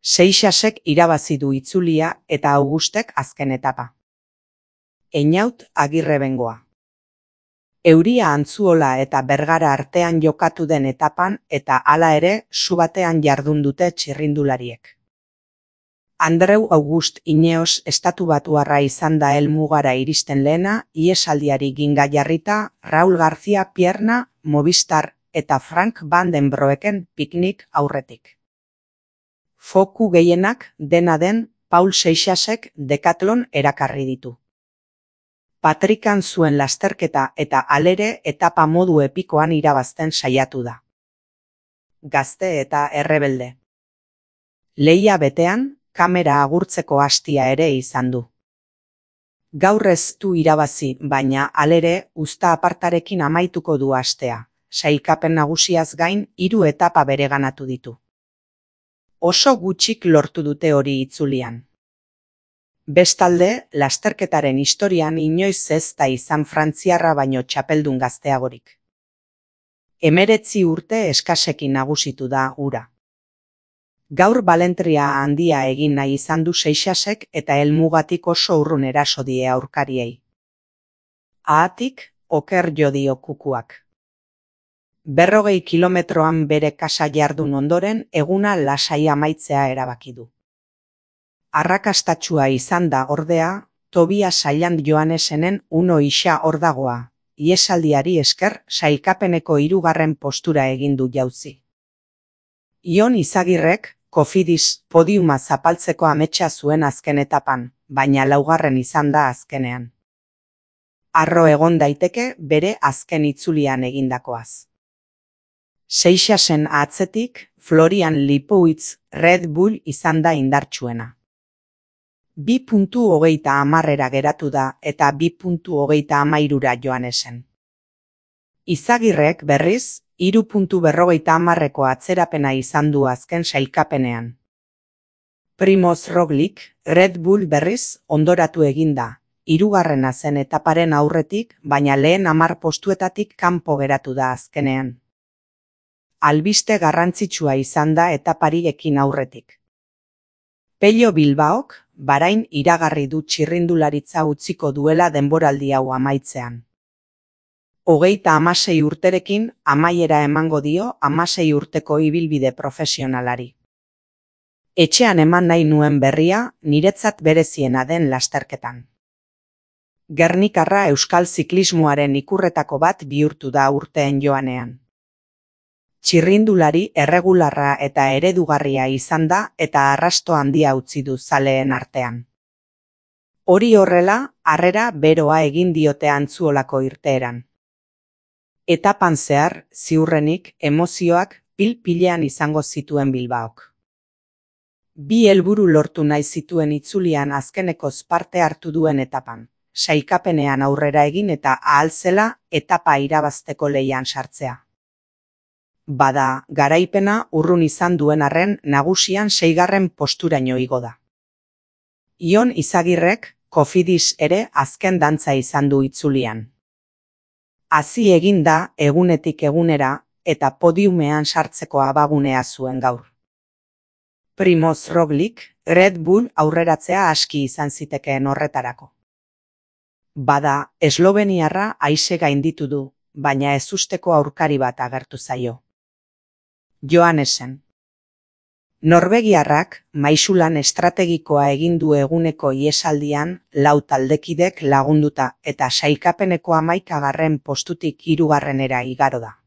Seixasek irabazi du itzulia eta Augustek azken etapa. Einaut Agirrebengoa. Euria Antzuola eta Bergara artean jokatu den etapan eta hala ere su batean jardun dute txirrindulariek. Andreu August Ineos estatubatuarra izan da helmugara iristen lehena, ihesaldiari ginga jarrita Raul García Pierna, Movistar eta Frank Van den Broeken piknik aurretik. Foku gehienak dena den Paul Seixasek Decathlon erakarri ditu. Patrikan zuen lasterketa eta halere etapa modu epikoan irabazten saiatu da. Gazte eta errebelde. Lehia betean, kamera agurtzeko hastia ere izan du. Gaur ez du irabazi, baina halere uzta apartarekin amaituko du astea. Sailkapen nagusiaz gain 3 etapa bereganatu ditu. Oso gutxik lortu dute hori itzulian. Bestalde, lasterketaren historian inoiz ez da izan frantziarra baino txapeldun gazteagorik. 19 urte eskasekin nagusitu da hura. Gaur balentria handia egin nahi izan du Seixasek eta helmugatik oso urrun eraso die aurkariei. Ahatik, oker jo dio kukuak. 40 kilometroan bere kasa jardun ondoren eguna lasai amaitzea erabaki du. Arrakastatsua izan da ordea, Tobias Sailand Joanesenen Uno Ixa Ordagoa, ihesaldiari esker sailkapeneko 3. postura egin du jauzi. Ion Izagirrek Cofidis podiuma zapaltzeko ametsa zuen azken etapan, baina 4. izan da azkenean. Harro egon daiteke bere azken itzulian egindakoaz. Seixasen atzetik, Florian Lipowitz Red Bull izan da indartsuena. 2.30 geratu da eta 2.30 Joanesen. Izagirrek berriz, 3.50 atzerapena izan du azken sailkapenean. Primoz Roglic, Red Bull berriz ondoratu eginda, 3. zen etaparen aurretik, baina lehen 10 postuetatik kanpo geratu da azkenean. Albiste garrantzitsua izan da etapari ekin aurretik. Pello Bilbaok, Bahrain iragarri du txirrindularitza utziko duela denboraldi hau amaitzean. 36 urterekin amaiera emango dio 16 urteko ibilbide profesionalari. Etxean eman nahi nuen berria, niretzat bereziena den lasterketan. Gernikarra euskal ziklismoaren ikurretako bat bihurtu da urteen joanean. Txirrindulari erregularra eta eredugarria izan da eta arrasto handia utzi du zaleen artean. Hori horrela, harrera beroa egin diote Antzuolako irteeran. Etapan zehar, ziurrenik, emozioak pil-pilean izango zituen Bilbaok. 2 helburu lortu nahi zituen itzulian azkenekoz parte hartu duen etapan, sailkapenean aurrera egin eta ahal zela etapa irabazteko lehian sartzea. Bada, garaipena urrun izan duen arren nagusian 6. posturaino igo da. Ion Izagirrek, Cofidis ere azken dantza izan du itzulian. Hazi egin da egunetik egunera eta podiumean sartzeko abagunea zuen gaur. Primoz Roglic, Red Bull aurreratzea aski izan zitekeen horretarako. Bada, esloveniarra aise gainditu du, baina ezusteko aurkari bat agertu zaio. Joanesen. Norvegiarrak maisulan estrategikoa egin du eguneko ihesaldian 4 taldekidek lagunduta eta sailkapeneko 11. postutik 3. igaro da.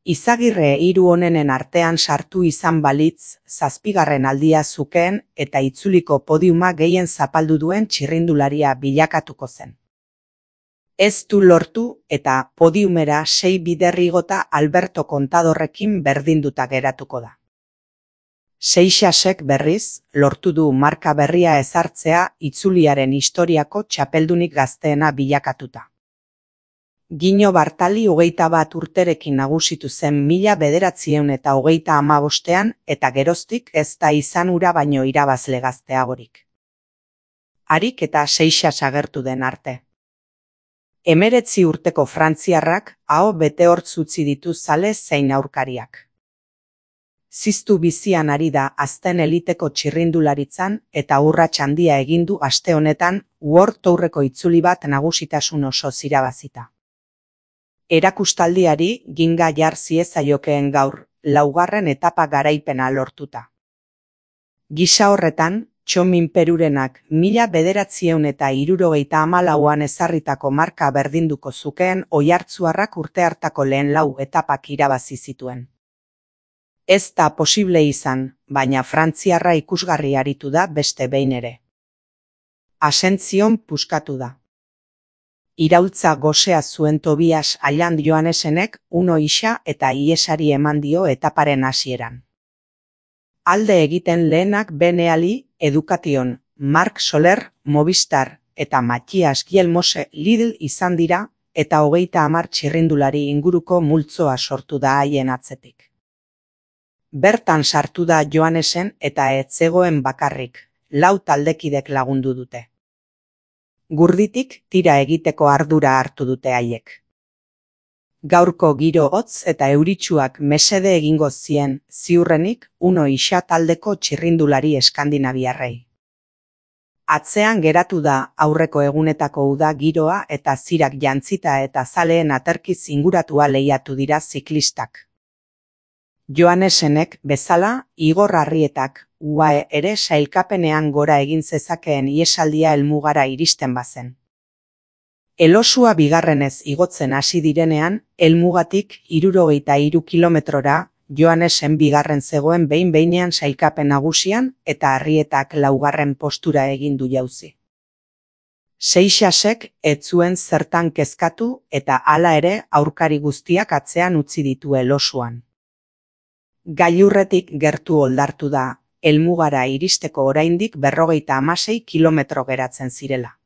Izagirre 3 onenen artean sartu izan balitz 7. aldia zukeen eta itzuliko podiuma gehien zapaldu duen txirrindularia bilakatuko zen. Ez du lortu eta podiumera 6 bider igota Alberto Contadorrekin berdinduta geratuko da. Seixasek berriz, lortu du marka berria ezartzea itzuliaren historiako txapeldunik gazteena bilakatuta. Gino Bartali 21 urterekin nagusitu zen 1935ean eta geroztik ez da izan ura baino irabazle gazteagorik. Harik eta Seixas agertu den arte. 19 urteko frantziarrak aho bete hortz utzi ditu zale zein aurkariak. Ziztu bizian ari da azten eliteko txirrindularitzan eta urrats handia egin du aste honetan World Tourreko itzuli bat nagusitasun osoz irabazita. Erakustaldiari ginga jar ziezaiokeen gaur, laugarren etapa garaipena lortuta. Gisa horretan, Txomin Perurenak 1974an ezarritako marka berdinduko zukeen oihartzuarrak urte hartako lehen 4 etapak irabazi zituen. Ez da posible izan, baina frantziarra ikusgarri aritu da beste behin ere. Asentzion puskatu da. Iraultza gosea zuen Tobias Alland Johannesenek uno isa eta iesari eman dio etaparen hasieran. Alde egiten lehenak Beneali, Education, Marc Soler, Movistar eta Matthias Gielmose Lidl izan dira eta 30 txirrindulari inguruko multzoa sortu da haien atzetik. Bertan sartu da Johannesen eta ez zegoen bakarrik, 4 taldekidek lagundu dute. Gurditik tira egiteko ardura hartu dute haiek. Gaurko giro hotz eta euritsuak mesede egingo zien ziurrenik uno isa taldeko txirrindulari eskandinaviarrei. Atzean geratu da aurreko egunetako uda giroa eta zirak jantzita eta zaleen aterkiz inguratua lehiatu dira ziklistak. Johannesenek bezala Igor Arrietak UAE ere sailkapenean gora egin zezakeen iesaldia helmugara iristen bazen. Elosua bigarrenez igotzen hasi direnean, helmugatik 63 kilometrora Johannesen bigarren zegoen behin-behinean sailkapen nagusian eta Arrietak 4. postura egin du jauzi. Seixasek ez zuen zertan kezkatu eta hala ere aurkari guztiak atzean utzi ditu Elosuan. Gailurretik gertu oldartu da, helmugara iristeko oraindik 56 kilometro geratzen zirela.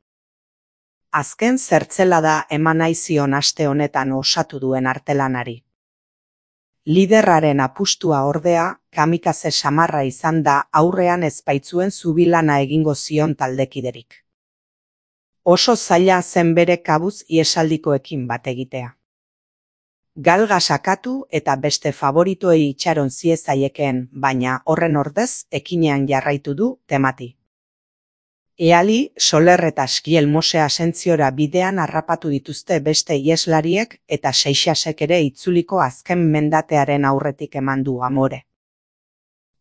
Azken zertzelada eman nahi zion aste honetan osatu duen artelanari. Liderraren apustua ordea, kamikaze samarra izan da aurrean ez baitzuen zubilana egingo zion taldekiderik. Oso zaila zen bere kabuz iesaldikoekin bat egitea. Galga sakatu eta beste favoritoei itxaron ziezaiekeen, baina horren ordez ekinean jarraitu du temati. Eali, Soler eta Gielmose Asentziora bidean harrapatu dituzte beste ieslariek eta Seixasek ere itzuliko azken mendatearen aurretik eman du amore.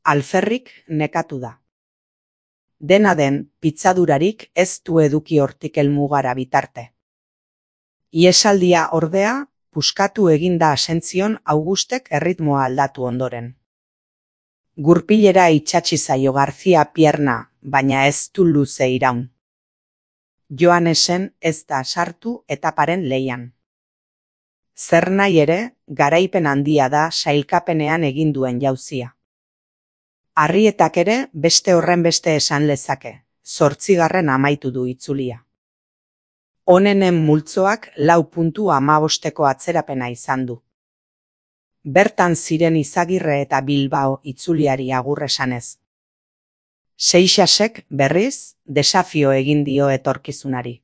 Alferrik nekatu da. Dena den, pitzadurarik ez du eduki hortik helmugara bitarte. Iesaldia ordea, puskatu eginda Asentzion Augustek erritmoa aldatu ondoren. Gurpilera itsatsi zaio García Pierna, baina ez du luze iraun. Johannesen ez da sartu etaparen lehian. Zer nahi ere, garaipen handia da sailkapenean egin duen jauzia. Arrietak ere beste horrenbeste esan lezake, 8. amaitu du itzulia. Honenen multzoak 4.15 atzerapena izan du. Bertan ziren Izagirre eta Bilbao itzuliari agur esanez. Seixasek berriz desafio egin dio etorkizunari.